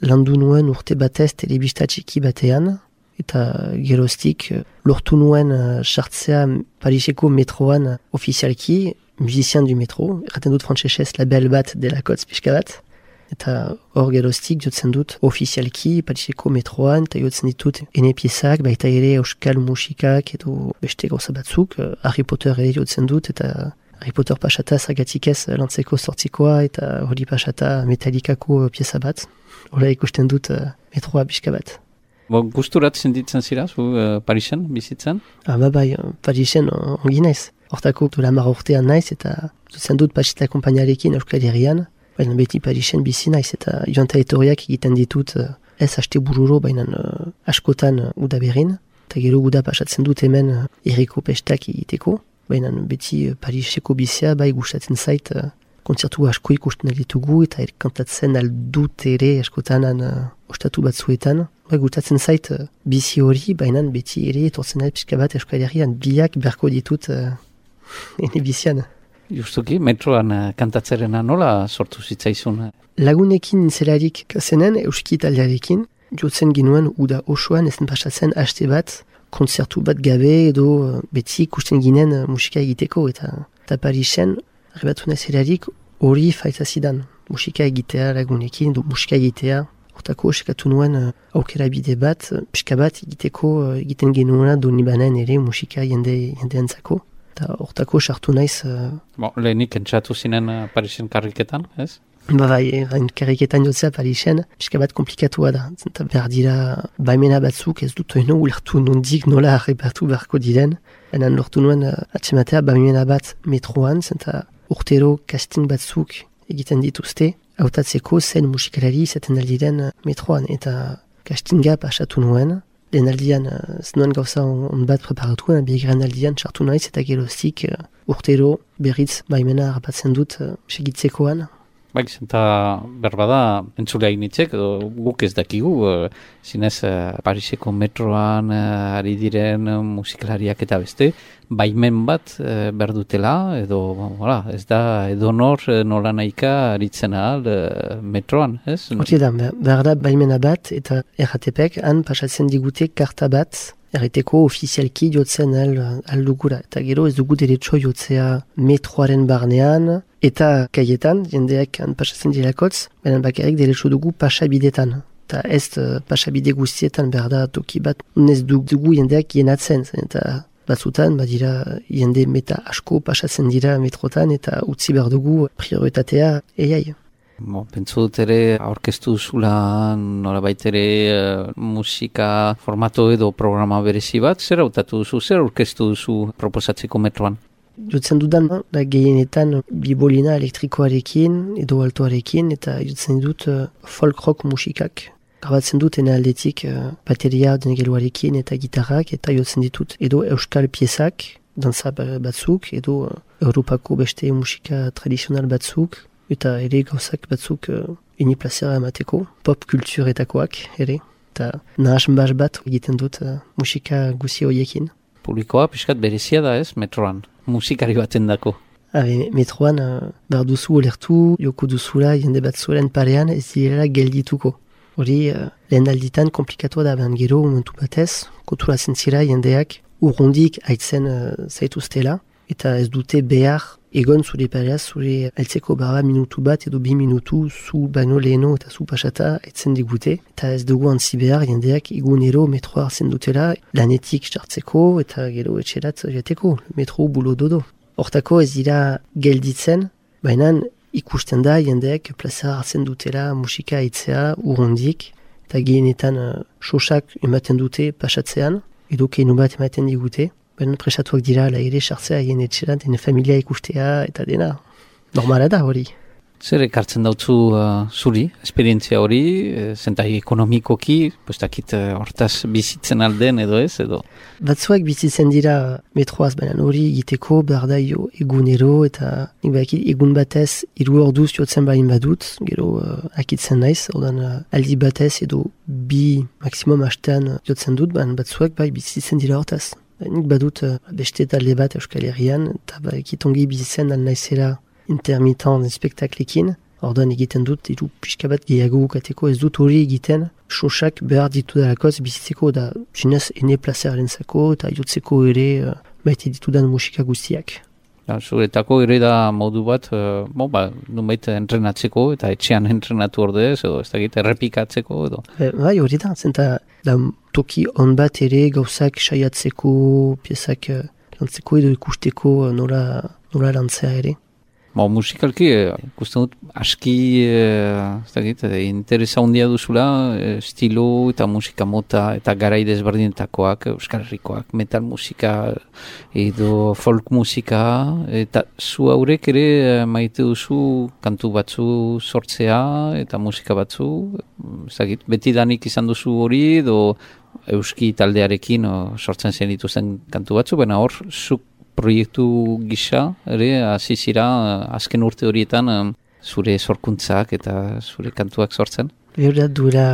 landu nuen urte batez telebista txiki batean, eta geroztik lortu nuen sartzea uh, Pariseko metroan uh, ofizialki, musician du metro, erraten dut frantsesez label bat delakotz pixka bat, eta hor geroztik jotzen dut ofizialki Pariseko metroan, eta jotzen ditut ene piezak, baita ere euskal musikak edo beste gauza batzuk, Harry Potter ere jotzen dut, eta Harry Potter pasata zagatik ez lantzeko sortzikoa, eta hori pasata Metallicako pieza bat. Hola ikusten dut uh, metroa pixka bat. Bo, gusturat sentitzen zira, zu uh, Parisen bizitzen? Ah, ba, bai, Parisen uh, ongi naiz. Hortako dula mar urtean naiz, eta zutzen dut pasita kompainarekin Euskal Herrian, baina beti Parisen bizi naiz, eta joan eta etorriak egiten ditut uh, ez haste bururo, baina uh, askotan uh, udaberrin, eta gero guda pasatzen dut hemen uh, erriko pestak egiteko, baina beti uh, Pariseko bizia bai gustatzen zait, uh, kontzertu asko ikusten ditugu eta kantatzen aldut ere askotan uh, ostatu batzuetan. Bai, gustatzen zait uh, bizi hori, baina beti ere etortzen da pixka bat Euskal Herrian biak berko ditut uh, ene bizian. Justuki, metroan uh, kantatzerena nola sortu zitzaizun? Lagunekin zelarik zenen euski taldearekin, jotzen ginuen uda osoan ezen pasatzen haste bat, kontzertu bat gabe edo uh, beti ikusten ginen uh, musika egiteko, eta, eta Parisen Rebatu nazelarik hori faita zidan. Musika egitea lagunekin, du musika egitea. Hortako eskatu nuen uh, aukera bide bat, uh, pixka bat egiteko uh, egiten genuena Donibanen ere musika jende, jendeentzako. Eta hortako sartu naiz... Uh, Bo, lehenik entzatu zinen uh, Parisen karriketan, ez? Ba bai, hain karriketan jotzea Parisen, pixka bat komplikatua da. Zenta behar dira baimena batzuk, ez dut oino ulertu nondik nola arrebatu beharko diren. Enan lortu nuen uh, atzematea baimena bat metroan, zenta urtero casting batzuk egiten dituzte, hautatzeko zen musikalari izaten aldiren metroan, eta castinga pasatu nuen, lehen aldian uh, zenuen gauza on, on bat preparatu, biegaren aldian sartu naiz, eta geroztik uh, urtero berriz baimena harrapatzen dut uh, segitzekoan. Bai, zenta berbada entzulea initzek, edo guk ez dakigu, uh, zinez uh, Pariseko metroan uh, ari diren uh, musikalariak eta beste, baimen bat uh, berdutela, edo hola, ez da edonor uh, nola nahika aritzen ahal uh, metroan, ez? Horti da, behar da baimena bat, eta R T Pek han pasatzen digute karta bat, erreteko ofizialki jotzen al, aldugura, eta gero ez dugu derecho jotzea metroaren barnean, eta kaietan, jendeak han pasatzen dilakotz, benen bakarrik derecho dugu pasabidetan. Eta ez uh, pasabide guztietan behar da toki bat, unez dugu jendeak jenatzen, eta batzutan, badira jende meta asko pasatzen dira metrotan, eta utzi behar dugu prioritatea eiai. Bo, pentsu dut ere, aurkeztu zula norabait ere uh, musika formato edo programa berezi bat, zer hautatu duzu, zer aurkeztu duzu proposatzeko metroan? Jotzen dudan, da gehienetan bibolina elektrikoarekin edo altoarekin, eta jotzen dut uh, folk rock musikak. Grabatzen dut ene aldetik uh, bateria dengeluarekin eta gitarrak, eta jotzen ditut edo euskal piezak, danza batzuk, edo uh, Europako beste musika tradizional batzuk, eta ere gauzak batzuk uh, ini plazera emateko, pop kulturetakoak ere, eta nahas bas bat egiten dut uh, musika guzi horiekin. Publikoa pixkat berezia da ez, metroan, musikari baten dako. Habe, metroan, uh, behar duzu olertu, joko duzula, jende bat zuelen parean, ez direla geldituko. Hori, uh, lehen alditan komplikatua da behan gero, momentu batez, konturatzen zira jendeak urrundik haitzen uh, zaituztela, eta ez dute behar egon zure pareaz, zure altzeko barra minutu bat edo bi minutu zu baino leheno eta zu pasata haitzen digute, eta ez dugu antzi behar jendeak egunero metroa hartzen dutela, lanetik sartzeko eta gero etxerat jateko, metro bulo dodo. Hortako ez dira gelditzen, baina ikusten da jendeak plaza hartzen dutela musika haitzea urrundik, eta gehienetan uh, sosak ematen dute pasatzean, edo keinu bat ematen digute, baina presatuak dira la ere sartzea hien etxeran, dene familia ikustea eta dena. Normala da hori. Zer ekartzen dautzu uh, zuri, esperientzia hori, e, zentai ekonomikoki, postakit uh, hortaz bizitzen alden edo ez, edo? Batzuak bizitzen dira metroaz, baina hori egiteko behar da jo egunero, eta nik bakit egun batez hiru orduz jotzen bain badut, gero uh, akitzen naiz, ordan uh, aldi batez edo bi maksimum hastean jotzen dut, baina batzuak bai bizitzen dira hortaz. Nik badut uh, beste talde bat Euskal Herrian, eta bakit ongi bizitzen al naizela intermitent spektaklekin, ordan egiten dut, iru pixka bat gehiago ukateko, ez dut hori egiten, sosak behar ditu dalakoz bizitzeko, da zinez ene plazeraren zako, eta jotzeko ere uh, baite ditudan musika guztiak. Ja, zuretako ere da modu bat, uh, bon, ba, numeit entrenatzeko eta etxean entrenatu ordez, edo ez dakit errepikatzeko edo. E, bai, hori da, zenta da toki on bat ere gauzak saiatzeko, piezak uh, lantzeko edo ikusteko uh, nola, nola lantzea ere. Ba, musikalki, ikusten dut, aski, eh, ez dakit, eh, interesa handia duzula, eh, estilo eta musika mota eta garai desberdinetakoak, Euskal Herrikoak, metal musika edo folk musika, eta zu haurek ere eh, maite duzu kantu batzu sortzea eta musika batzu, ez dakit, beti danik izan duzu hori edo euski taldearekin o, sortzen zen dituzten kantu batzu, baina hor, zuk proiektu gisa, ere, hasi zira azken urte horietan zure sorkuntzak eta zure kantuak sortzen? Behorat duela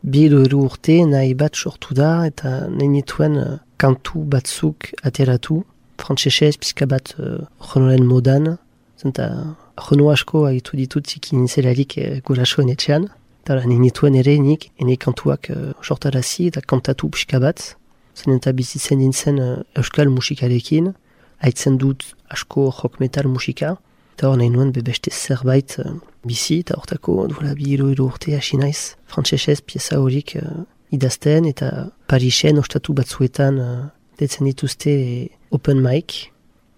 bi edo hiru urte nahi bat sortu da eta nahi nituen uh, kantu batzuk ateratu, frantsesez pizka bat uh, jonoren modan, zenta jono asko agitu ditut zikin zelarik uh, gurasoen etxean, eta nahi nituen ere nik, ene kantuak uh, sortarazi eta kantatu pizka bat, zen eta bizitzen nintzen uh, euskal musikarekin, haitzen dut asko rock metal musika, eta hor nahi nuen bebeste zerbait uh, bizi, eta hortako duela bi hiru hiru urte hasi naiz, frantsesez pieza horik uh, idazten, eta Parisen ostatu batzuetan uh, detzen dituzte open mic,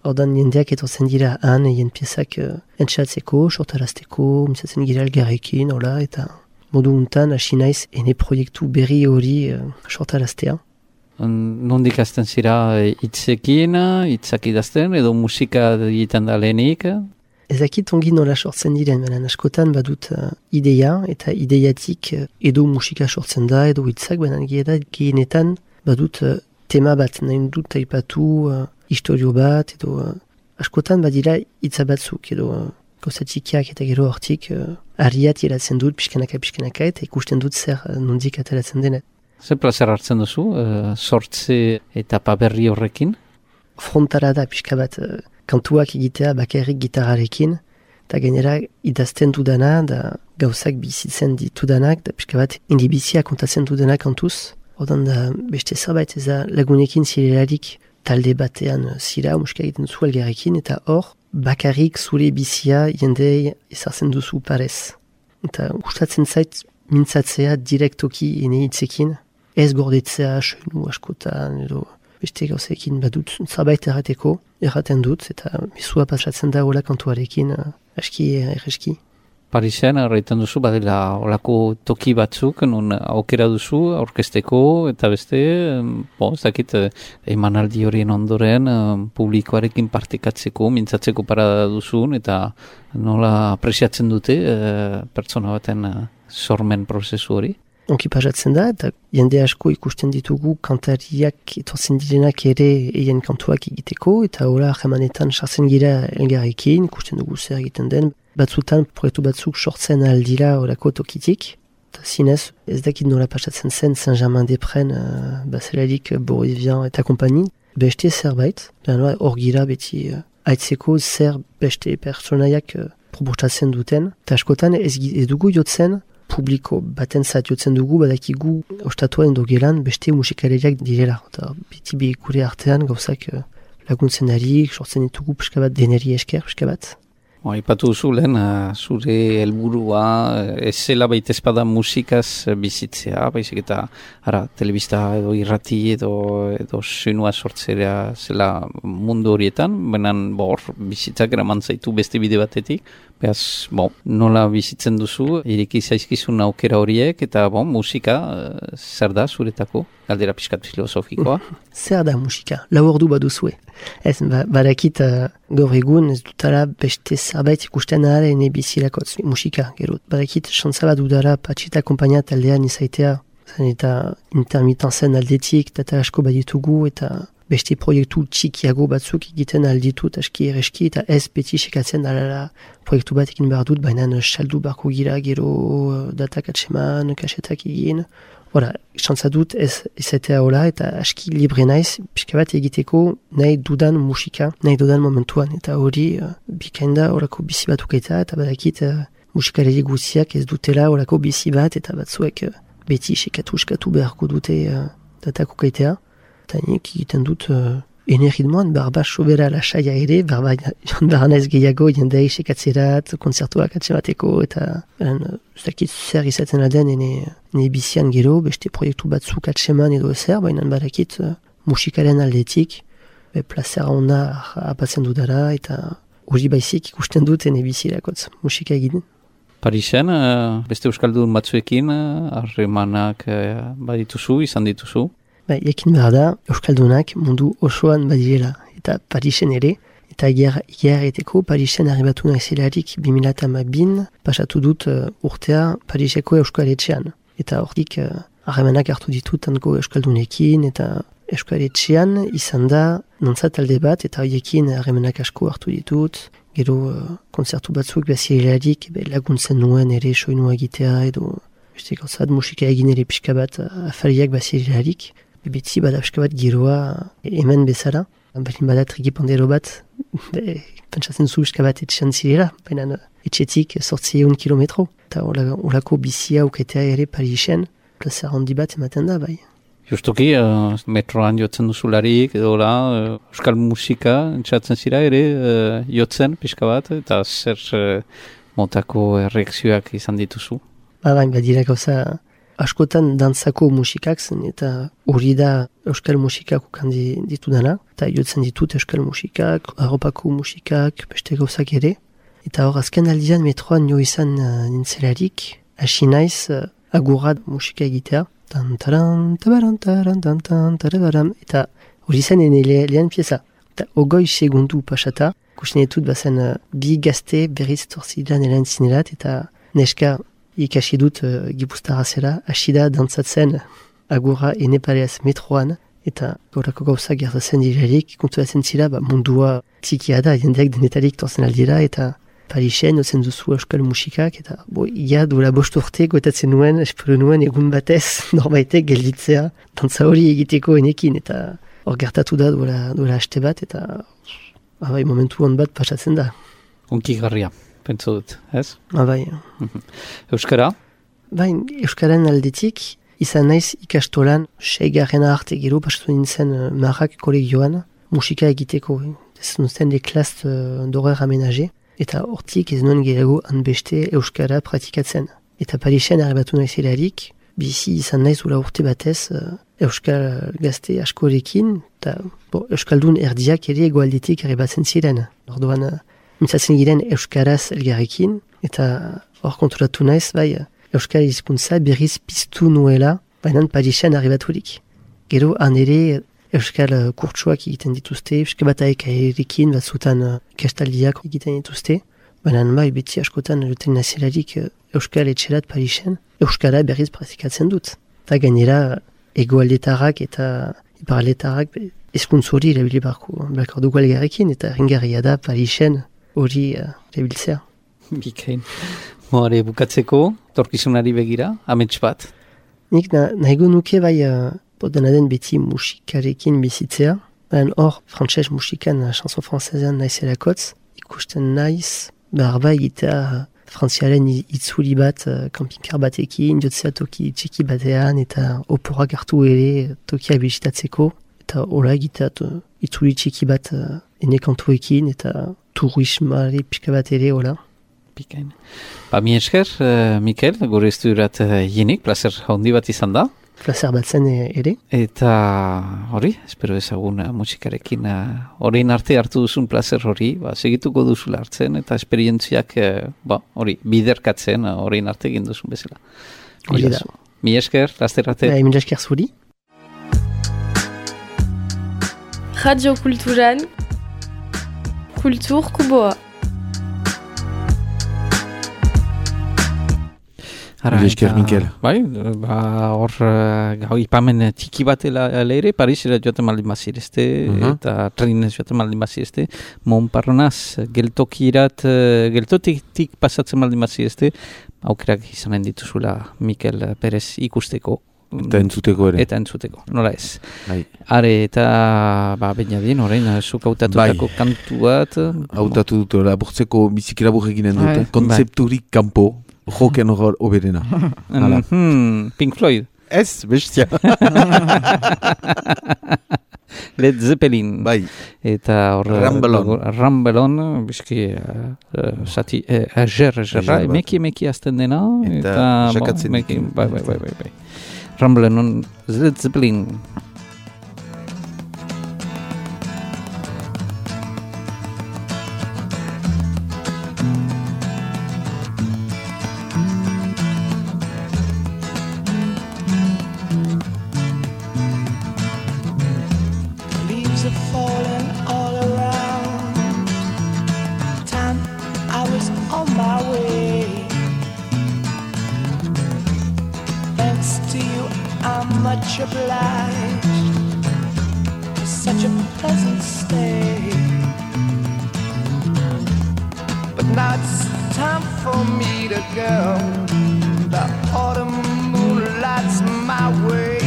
ordan jendeak etortzen dira han, egin piezak uh, entxatzeko, sortarazteko, mintzatzen gira elgarrekin, hola, eta modu untan hasi naiz ene proiektu berri hori uh, sortaraztea. Nondik azten zira hitzekin, hitzak idazten, edo musika egiten da lehenik? Ezakit ongi nola sortzen diren, baina askotan badut uh, ideia, eta ideiatik uh, edo musika sortzen da, edo hitzak, baina gehienetan badut uh, tema bat, nahi dut aipatu uh, historio bat, edo uh, askotan badira hitza batzuk, edo uh, gauzatxikiak eta gero hortik uh, ariat iratzen dut, pixkanaka pixkanaka, eta ikusten dut zer uh, nondik ateratzen denet. Zer plazer hartzen duzu, uh, sortze etapa berri horrekin? Frontara da pixka bat uh, kantuak egitea bakarrik gitarrarekin, eta gainera idazten dudana, da gauzak bizitzen ditudanak, da pixka bat indibizia kontatzen dudana kantuz. Odan da beste zerbait ez da lagunekin zirelarik talde batean zira, musika egiten zu elgarrekin, eta hor bakarrik zure bizia jendei ezartzen duzu parez. Eta gustatzen zait mintzatzea direktoki ene hitzekin, ez gordetzea soinu askotan edo beste gauzekin badut zerbait errateko, erraten dut, eta mezua pasatzen da hola kantuarekin uh, aski erreski. Parisen, erraiten duzu, badela olako toki batzuk, non aukera duzu, aurkezteko, eta beste, bo, ez dakit, emanaldi horien ondoren, publikoarekin partekatzeko, mintzatzeko parada duzun, eta nola apresiatzen dute pertsona baten sormen prozesu hori? Onki pasatzen da, eta jende asko ikusten ditugu kantariak etortzen direnak ere eien kantuak egiteko, eta hola jemanetan sartzen gira elgarrekin, ikusten dugu zer egiten den, batzutan proiektu batzuk sortzen aldira horako tokitik, eta zinez ez dakit nola pasatzen zen Saint-Germain-des-Prés, uh, bazelarik Boris Vian eta kompani, beste zerbait, hor gira beti uh, aitzeko zer beste pertsonaiak uh, proposatzen duten, eta askotan ez, ez dugu jotzen, publiko baten zat jotzen dugu, badakigu ostatuen dogelan beste musikaleriak direla. Eta beti bi gure artean gauzak uh, laguntzen darik, sortzen ditugu pixka bat deneri esker, pixka bat. Aipatu duzu lehen, uh, zure helburua ez zela baita espada musikaz bizitzea, baizik eta ara, telebista edo irrati edo, edo soinua sortzea zela mundu horietan, baina bor, bizitzak eraman zaitu beste bide batetik, behaz, bon, nola bizitzen duzu, ireki zaizkizun aukera horiek, eta bon, musika, uh, zer da zuretako? Galdera pixkat filosofikoa. Zer da musika? Lau ordu baduzue. Ez, ba, badakit uh, gaur egun ez dutara beste zerbait ikusten ahal ene bizilakotz musika, gero. Badakit xantza bat dudara patxita kompainia taldean izaitea, zen eta intermitenzen aldetik, data asko baditugu, eta beste proiektu txikiago batzuk egiten alditut aski ereski, eta ez beti sekatzen alala proiektu bat egin behar dut, baina saldu barko gira, gero datak atseman, kasetak egin. Hora, xantza dut ez izatea hola, eta aski libre naiz, pixka bat egiteko nahi dudan musika, nahi dudan momentuan, eta hori uh, bikainda horako bizi bat ukaita, eta badakit uh, musikalegi guziak ez dutela horako bizi bat, eta batzuek uh, beti sekatu eskatu beharko dute uh, datak ukaitea, eta nik egiten dut uh, ene ritmoan barba sobera lasaia ere, barba joan behar naiz gehiago jendei sekatzerat, konzertuak atzemateko, eta ez dakit zer izaten aden ene, ene bizian gero, beste proiektu batzuk atseman edo ezer, baina badakit uh, musikaren aldetik, be plazera onda apatzen dudara, eta hori baizik ikusten dut ene bizirakotz, musika egiten. Parisen, uh, beste euskaldun batzuekin, harremanak uh, badituzu, izan dituzu? Ba, ekin behar da, euskaldunak mundu osoan badirela, eta Parisen ere, eta igeareteko Parisen arribatu naizelarik bi mila hamabin pasatu dut uh, urtea Pariseko euskaletxean. Eta hortik uh, harremanak hartu ditut hanko euskaldunekin, eta euskaletxean izan da nantza talde bat, eta horiekin harremanak asko hartu ditut, gero uh, konzertu batzuk bazirelarik laguntzen nuen ere soinua egitea, edo beste gauzat musika egin ere pixka bat uh, afariak bazirelarik, Betzi bada pixka bat giroa hemen bezala. Balin bada trikipandero bat, be, pentsatzen zu pixka bat etxean zirela, baina etxetik sortzi eun kilometro. Eta olako bizia uketea ere Parisen, plazera handi bat ematen da, bai. Justuki, uh, metroan jotzen duzularik, edo la, uh, euskal musika entzatzen zira ere uh, jotzen pixka bat, eta zer uh, motako reakzioak izan dituzu? Ba, baina badira gauza askotan dantzako musikak zen, eta hori da euskal musikak ukan ditudana, eta jotzen ditut euskal musikak, Europako musikak, beste gauzak ere. Eta hor, azken aldian metroan jo izan uh, nintzelarik, hasi naiz uh, agurra musika egitea, tan-taran, tabaran, taran, tan-tan, tarabaram, eta hori zen ene le, lehen pieza. Eta ogoi segundu pasata, kusinetut bazen uh, bi gazte berriz torzidan elen zinelat, eta neska ikasi dut uh, gipuztara zela, hasi da dantzatzen agurra ene pareaz metroan, eta gorako gauza gertatzen direrik, konturatzen zira, ba, mundua txikia da, jendeak denetarik torzen aldira, eta Parisen ozen duzu euskal musikak, eta bo, ia duela bost urte goetatzen nuen, espero nuen egun batez, norbaitek gelditzea, dantza hori egiteko enekin, eta hor gertatu da duela, duela haste bat, eta abai, momentu hon bat pasatzen da. Unki garria, pentsu dut, ez? Abai. Euskara? Bain, euskaren aldetik, izan naiz ikastolan, seigarrena arte gero, pasatu nintzen uh, marrak kolegioan, musika egiteko, ez nuzten de klast uh, d'horer aménagé, eta hortik ez nuen gehiago hanbeste euskara praktikatzen. Eta Parisen arribatu naizelarik, bizi izan naiz ula urte batez uh, euskal gazte askorekin, eta bo, euskaldun erdiak ere egoaldetik arribatzen ziren. Orduan, uh, mintzatzen giren euskaraz elgarrekin, eta hor konturatu naiz, bai, euskal hizkuntza berriz piztu nuela, baina Parisen arribaturik. Gero, han ere euskal uh, kurtsuak egiten dituzte, euskal bataek aerekin batzutan uh, kestaldiak egiten dituzte, baina bai, beti askotan juten nazelarik uh, euskal etxerat Parisen, euskara berriz praktikatzen dut. Eta gainera, egoaldetarrak eta iparaldetarrak ezkuntz hori erabili barko, barko dugu algarrekin, eta ringarria da Parisen hori uh, erabiltzea. Bikain. Moare bukatzeko, torkizunari begira, amets bat. Nik na, nahigo nuke bai, uh, dena den beti musikarekin bizitzea. Baina hor, frantses musikan, chanson francesean naizelakotz, ikusten naiz, behar bai egitea frantziaren itzuli bat, uh, kampinkar batekin, jotzea toki txiki batean, eta oporak hartu ere tokia bisitatzeko, eta hola egitea uh, itzuli txiki bat uh, ene kantuekin, eta turismari pixka bat ere, hola. Bikain. Ba, mi esker, uh, Mikel, gure estudurat uh, jenik, placer handi bat izan da. Placer bat zen ere. Eta hori, espero ezagun uh, musikarekin horrein uh, arte hartu duzun placer hori, ba, segituko duzula hartzen, eta esperientziak uh, ba, hori, biderkatzen horrein uh, arte egin duzun bezala. Hori da. Mi esker, laster arte. Ba, mi esker zuri. Radio Kulturan, Kultur Kuboa. Mila esker, Mikel. Bai, ba, hor, gau, ipamen tiki bat ere, Parisera joaten maldin bazirezte, uh-huh. eta trenez joaten maldin bazirezte, Montparnasse, geltokirat, geltotik pasatzen maldin bazirezte, aukerak izanen dituzula Mikel Perez ikusteko. Eta entzuteko ere. Eta entzuteko, nola ez. Bai. Are, eta, ba, bainadien, orain, zuk hautatutako bai. Kantu bat. Hautatu dut, laburtzeko bizikera burreginen dute. Bai. Kontzepturik kanpo. Joken hor oberena. Mm-hmm. Pink Floyd. Ez, bestia. Led Zeppelin. Bai. Eta hor... Rambelon. Rambelon, biski, uh, uh, sati, uh, ager, agerra, emeki, emeki azten dena. Eta jakatzen ditu. Bai, bai, bai, bai. Rambelon, Led Zeppelin. Much obliged for such a pleasant stay. But now it's time for me to go. The autumn moonlight's my way.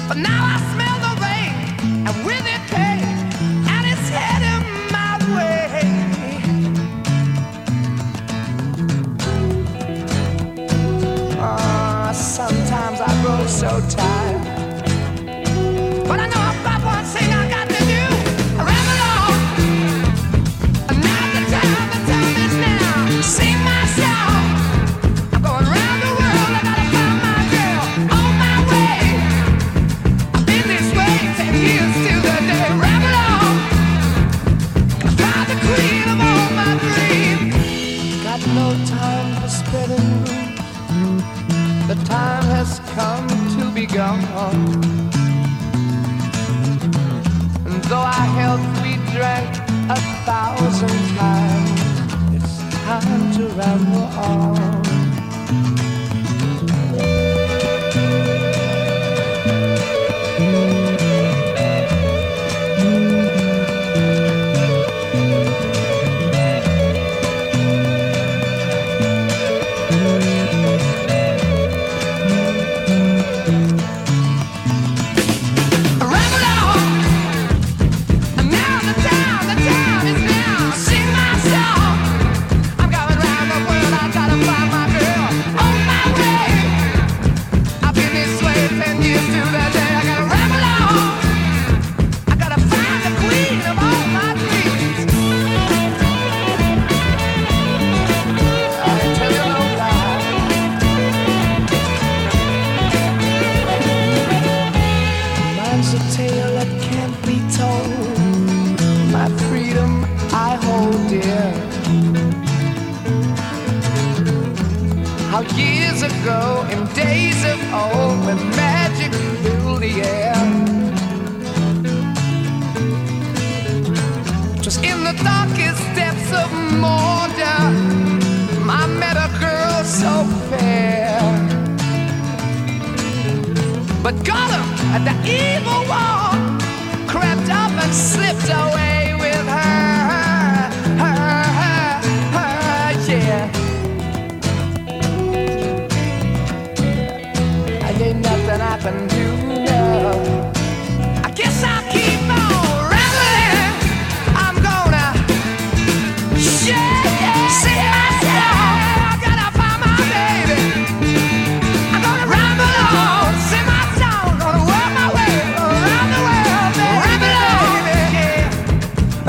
But now I smell the rain, and with it pain, and it's heading my way. Uh, Sometimes I grow so tired, but I know about one thing I got to do. I ramble on, and now the time, the time is now. Sing my song. I'm going round the world. I gotta find my girl on my way. I've been this way ten years till the day. Ramble on, I find the queen of all my dreams. Got no time for spreading. The time has come to be gone. And though our health we drank a thousand times, it's time to ramble on. Years ago, in days of old, when magic filled the air, just in the darkest depths of Mordor, I met a girl so fair. But Gollum, the evil one, crept up and slipped away with her, her, her, her, yeah. Ain't nothing I can do now. I guess I'll keep on rambling. I'm gonna share, yeah, sing myself. I gotta find my baby. I'm gonna ramble on, sing my song, gonna work my way around the world, baby. Ramble on, yeah.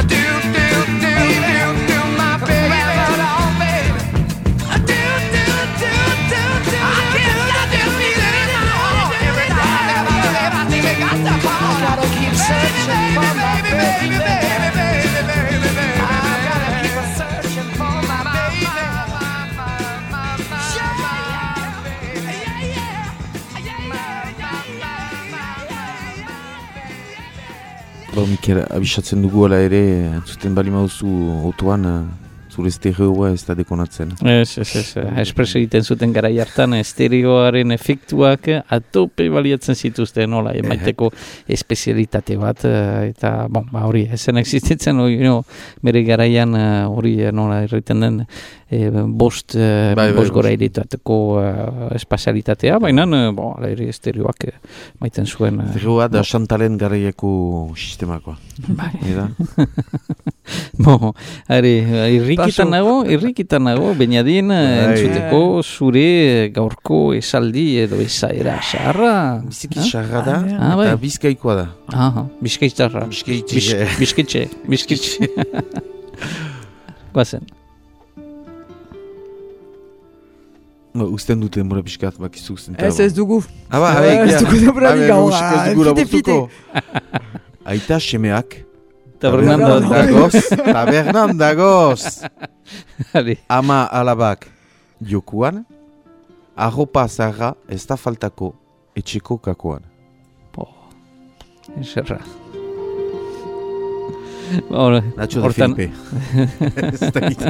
Do do do do do my baby. Ramble on, baby. Do do do do do. I can't stop this music. I gotta keep searching for my baby, baby, baby, baby, baby. I gotta keep searching for my baby. Bo, Mikel, abisatzen dugu ala ere, zuten bali mauzu otoan, zure estereoa ez da dekonatzen. Ez, ez, ez. Espreso egiten zuten garai hartan, estereoaren efektuak atope baliatzen zituzten, nola, emaiteko espezialitate bat, eta, bon, ba, hori, ezen existitzen, hori, no, bere garaian, hori, nola, erraiten den, e, bost, bai, bai, bost gora iritateko uh, espazialitatea, baina, bon, ala ere estereoak maiten zuen. Estereoa da Chantalen garaieko sistemakoa. Bai. Eda? Bo, are, irrikitan nago, irrikitan nago, bainadien entzuteko zure gaurko esaldi edo esaera xarra. Biziki xarra da, Ah, bai. eta bizkaikoa da. Aha, bizkaitzarra. Bizkaitxe. Bizkitxe, bizkitxe. Guazen. No, usten dute denbora pixkat, bakizu zen. Ez ez dugu. Aba, Eh, abe, ez dugu denborarik gaur, ah, Ez dugu fite, fite. laburtuko. Aita semeak. Tabernan da. dagoz. Tabernan dagoz. Are, Ama alabak jokuan, arropa zarra ez da faltako etxeko kakoan. eserra. Hora, Nacho de hortan, Felipe. Ez dakit.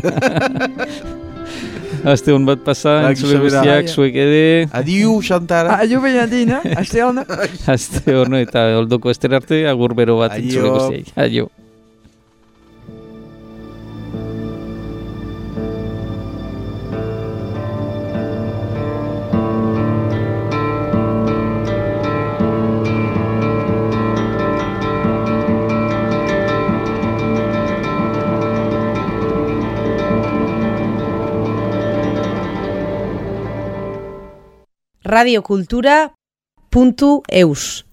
azte hon bat pasa, Ba, entzule gisa bera. guztiak, zuek ere, Adiu, Xantara. Aio Benadin, eh? Aste hon. azte hon eta oldoko ester arte, agur bero bat Aio. entzule guztiak. Aio. radiokultura puntu eus